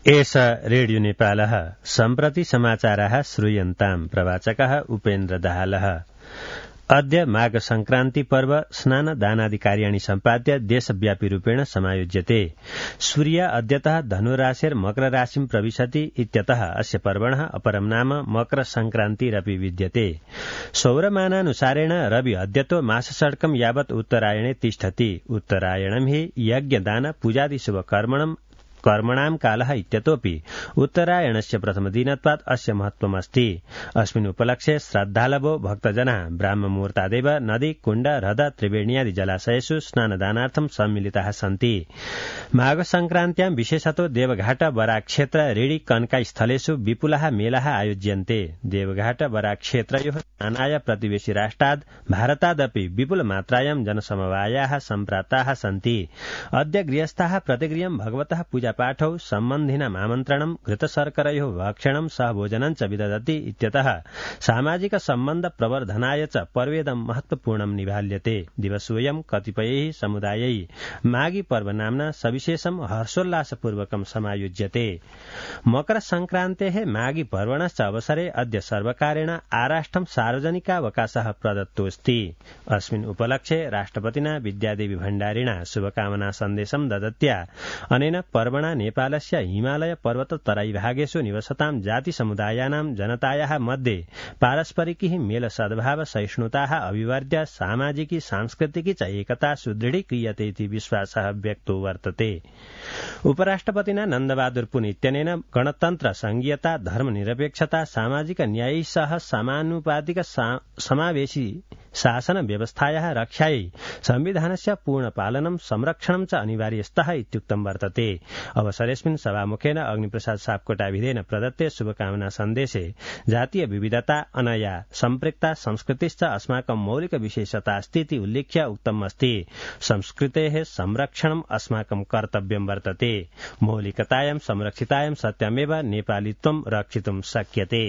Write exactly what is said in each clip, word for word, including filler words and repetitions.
एष रेडियो नेपालः सम्प्रति समाचाराः श्रूयन्ताम् प्रवाचकः उपेन्द्र दाहालः। अद्य माघ संक्रान्ति पर्व स्नान दानादि कार्याणि सम्पाद्य देशव्यापी रूपेण समायोज्यते। सूर्य अद्यतः धनुराशेर मकर राशिं प्रविशति इत्यतः अस्य पर्वणः अपरं नाम मकर संक्रान्तिरपि विद्यते। सौरमानानुसारेण रवि अद्यतो मासषट्कं यावत् उत्तरायणे तिष्ठति। उत्तरायणं हि यज्ञदान पूजादि शुभकर्मणं कर्मणां कालः इत्यतोऽपि उत्तरायणस्य प्रथमदिनत्वात् अस्य महत्त्वमस्ति। अस्मिन् उपलक्ष्ये श्रद्धालवो भक्तजनाः ब्राह्ममुहूर्तादेव नदी कुण्ड ह्रद त्रिवेण्यादि जलाशयेषु स्नानदानार्थं सम्मिलिताः सन्ति। माघ संक्रान्त्यां विशेषतो देवघाट बराक्षेत्र ऋणि कनकाई स्थलेषु विपुलाः मेलाः आयोज्यन्ते। देवघाट बराक्षेत्रयोः स्नानाय प्रतिवेशि राष्ट्राद् भारतादपि विपुलमात्रायां जनसमवायाः सम्प्राप्ताः सन्ति। अद्य गृहस्थाः प्रतिगृहं भगवतः पूजा पाठौ सम्बन्धिनाम् आमन्त्रणं घृतशर्करयोः भक्षणं सह भोजनं च विदधति इत्यतः सामाजिक सम्बन्ध प्रवर्धनाय च पर्वेदं महत्वपूर्णं निभाल्यते। दिवसोऽयं कतिपयैः समुदायैः माघी पर्व नाम्ना सविशेषं हर्षोल्लासपूर्वकं समायोज्यते। मकर संक्रान्तेः माघी पर्वणश्च अवसरे अद्य सर्वकारेण आराष्ट्रं सार्वजनिकावकाशः प्रदत्तोऽस्ति। अस्मिन् उपलक्ष्ये राष्ट्रपतिना विद्यादेवी भण्डारिणा शुभकामना सन्देशं ददत्या अनेन पर्वणा नेपालस्य हिमालय पर्वत तराईभागेषु निवसतां जाति समुदायानां जनतायाः मध्ये पारस्परिकी मेल सद्भाव सहिष्णुताः अभिवर्ध्य सामाजिकी सांस्कृतिकी च एकता सुदृढीक्रियते इति विश्वासः व्यक्तो वर्तते। उपराष्ट्रपतिना नन्दबहादुर पुन इत्यनेन गणतन्त्र संघीयता धर्मनिरपेक्षता सामाजिक न्याय सह समानुपातिक समावेशी शासन व्यवस्थायाः रक्षायै संविधानस्य पूर्णपालनं संरक्षणं च अनिवार्यस्तः इत्युक्तं वर्तते। अवसरेऽस्मिन् सभामुखेन अग्निप्रसाद सापकोटाभिधेन प्रदत्ते शुभकामना सन्देशे जातीय विविधता अनया सम्पृक्ता संस्कृतिश्च अस्माकं मौलिक विशेषता अस्ति इति उल्लिख्य उक्तम् अस्ति। संस्कृतेः संरक्षणम् अस्माकं कर्तव्यं वर्तते। मौलिकतायां संरक्षितायां सत्यमेव नेपालित्वं रक्षितुं शक्यते।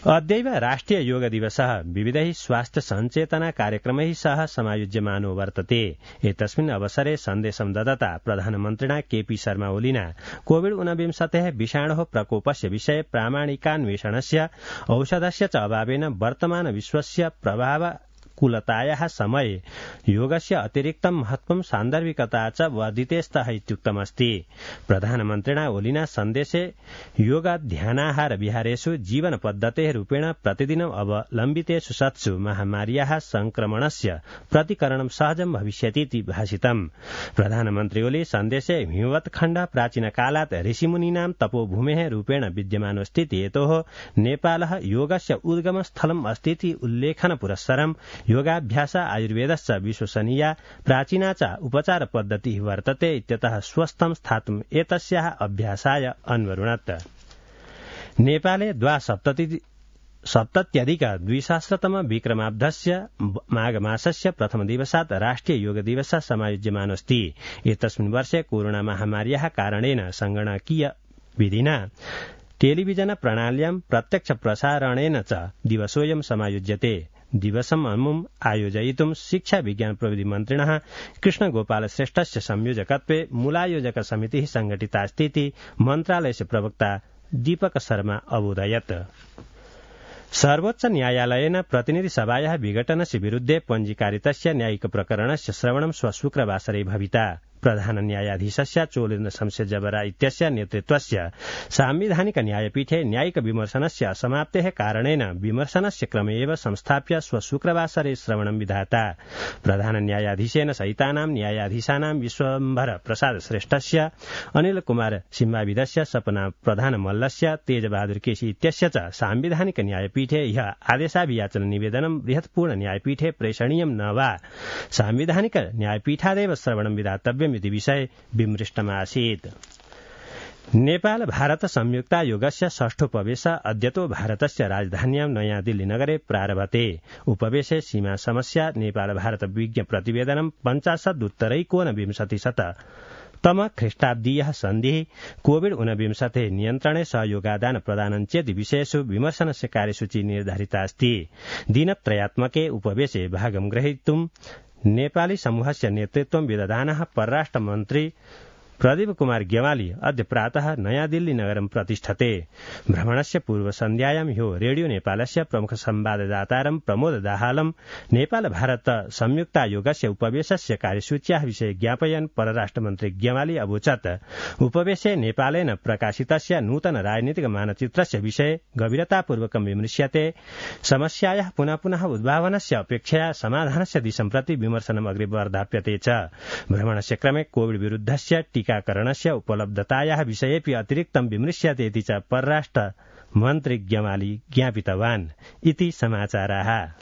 अद्यैव राष्ट्रिय योग दिवसः विविधैः स्वास्थ्य सञ्चेतना कार्यक्रमैः सह समायोज्यमानो वर्तते। एतस्मिन् अवसरे सन्देशं ददता प्रधानमन्त्रिणा केपी शर्मा ओलीना कोविड ऊनविंशतेः विषाणोः प्रकोपस्य विषये प्रामाणिकान्वेषणस्य औषधस्य च अभावेन वर्तमान विश्वस्य प्रभाव कुलतायाः समये योगस्य अतिरिक्तं महत्त्वं सान्दर्भिकता च वर्धितेस्तः इत्युक्तमस्ति। प्रधानमन्त्रिणा ओलिना सन्देशे योगाध्यानाहार विहारेषु जीवन पद्धतेः रूपेण प्रतिदिनम् अवलम्बितेषु सत्सु महामार्याः संक्रमणस्य प्रतिकरणं सहजं भविष्यति इति भाषितम्। प्रधानमन्त्री ओली सन्देशे हिमवत्खण्ड प्राचीनकालात् ऋषिमुनीनां तपोभूमेः रूपेण विद्यमानोऽस्ति इति हेतोः नेपालः योगस्य उद्गमस्थलम् अस्ति इति उल्लेखन पुरस्सरम् योगाभ्यास आयुर्वेदश्च विश्वसनीया प्राचीना च उपचार पद्धतिः वर्तते इत्यतः स्वस्थं स्थातुम् एतस्याः अभ्यासाय अन्वरुणत्। नेपाले द्वासप्तति सप्तत्यधिक द्विसहस्रतम विक्रमाब्धस्य माघमासस्य प्रथमदिवसात् राष्ट्रिय योग दिवसः समायोज्यमानोऽस्ति। एतस्मिन् वर्षे कोरोना महामार्याः कारणेन संगणकीय विधिना टेलिविजन प्रणाल्यां प्रत्यक्ष प्रसारणेन च दिवसोऽयं समायोज्यते। दिवसम् अमुम् आयोजयितुं शिक्षा विज्ञान प्रविधि मन्त्रिणः कृष्ण गोपाल श्रेष्ठस्य संयोजकत्वे मूलायोजक समितिः संघटितास्ति इति मन्त्रालयस्य प्रवक्ता दीपक शर्मा अबोधयत्। सर्वोच्च न्यायालयेन प्रतिनिधि सभायाः विघटनस्य विरुद्धे पञ्जीकारितस्य न्यायिक प्रकरणस्य श्रवणं श्वः शुक्रवासरे भविता। प्रधान न्यायाधीशस्य चोलेन्द्र शमशेर जबरा इत्यस्य नेतृत्वस्य साम्विधानिक न्यायपीठे न्यायिक विमर्शनस्य असमाप्तेः कारणेन विमर्शनस्य क्रमे एव संस्थाप्य श्वः शुक्रवासरे श्रवणं विधाता। प्रधान न्यायाधीशेन सहितानां न्यायाधीशानां विश्वम्भर प्रसाद श्रेष्ठस्य अनिल कुमार सिंहाविदस्य सपना प्रधान मल्लस्य तेजबहादुर केसी इत्यस्य च साम्विधानिक न्यायपीठे ह्यः आदेशाभियाचन निवेदनं बृहत्पूर्ण न्यायपीठे प्रेषणीयं न वा साम्विधानिक न्यायपीठादेव श्रवणं विधातव्यम् इति विषये विमृष्टमासीत्। नेपाल भारत संयुक्तायोगस्य षष्ठोपवेश अद्यतो भारतस्य राजधान्यां नयाँ दिल्ली नगरे प्रारभते। उपवेशे सीमा समस्या नेपाल भारत विज्ञ प्रतिवेदनं पञ्चाशदुत्तरैकोनविंशतिशत तम ख्रीष्टाब्दीयः सन्धिः कोविड ऊनविंशतेः नियन्त्रणे सहयोगादान प्रदानं चेति विषयेषु विमर्शनस्य कार्यसूची निर्धारिता अस्ति। दिनत्रयात्मके उपवेशे भागं ग्रहीतुं नेपाली समूहस्य नेतृत्वं विदधानः परराष्ट्रमन्त्री प्रदीप कुमार गेवाली अद्य प्रातः नयाँ दिल्ली नगरं प्रतिष्ठते। भ्रमणस्य पूर्वसन्ध्यायां ह्यो रेडियो नेपालस्य प्रमुख संवाददातारं प्रमोद दाहालं नेपाल भारत संयुक्तायोगस्य उपवेशस्य कार्यसूच्याः विषये ज्ञापयन् परराष्ट्रमन्त्री गेवाली अवोचत् उपवेशे नेपालेन प्रकाशितस्य नूतन राजनीतिक मानचित्रस्य विषये गभीरतापूर्वकं विमृश्यते। समस्यायाः पुनः पुनः उद्भावनस्य अपेक्षया समाधानस्य दिशं प्रति विमर्शनम् अग्रे वर्धाप्यते च। भ्रमणस्य क्रमे कोविड विरुद्धस्य टीकाकरणस्य उपलब्धतायाः विषयेऽपि अतिरिक्तं विमृश्यते इति च परराष्ट्र मन्त्री गेवाली ज्ञापितवान्। इति समाचाराः।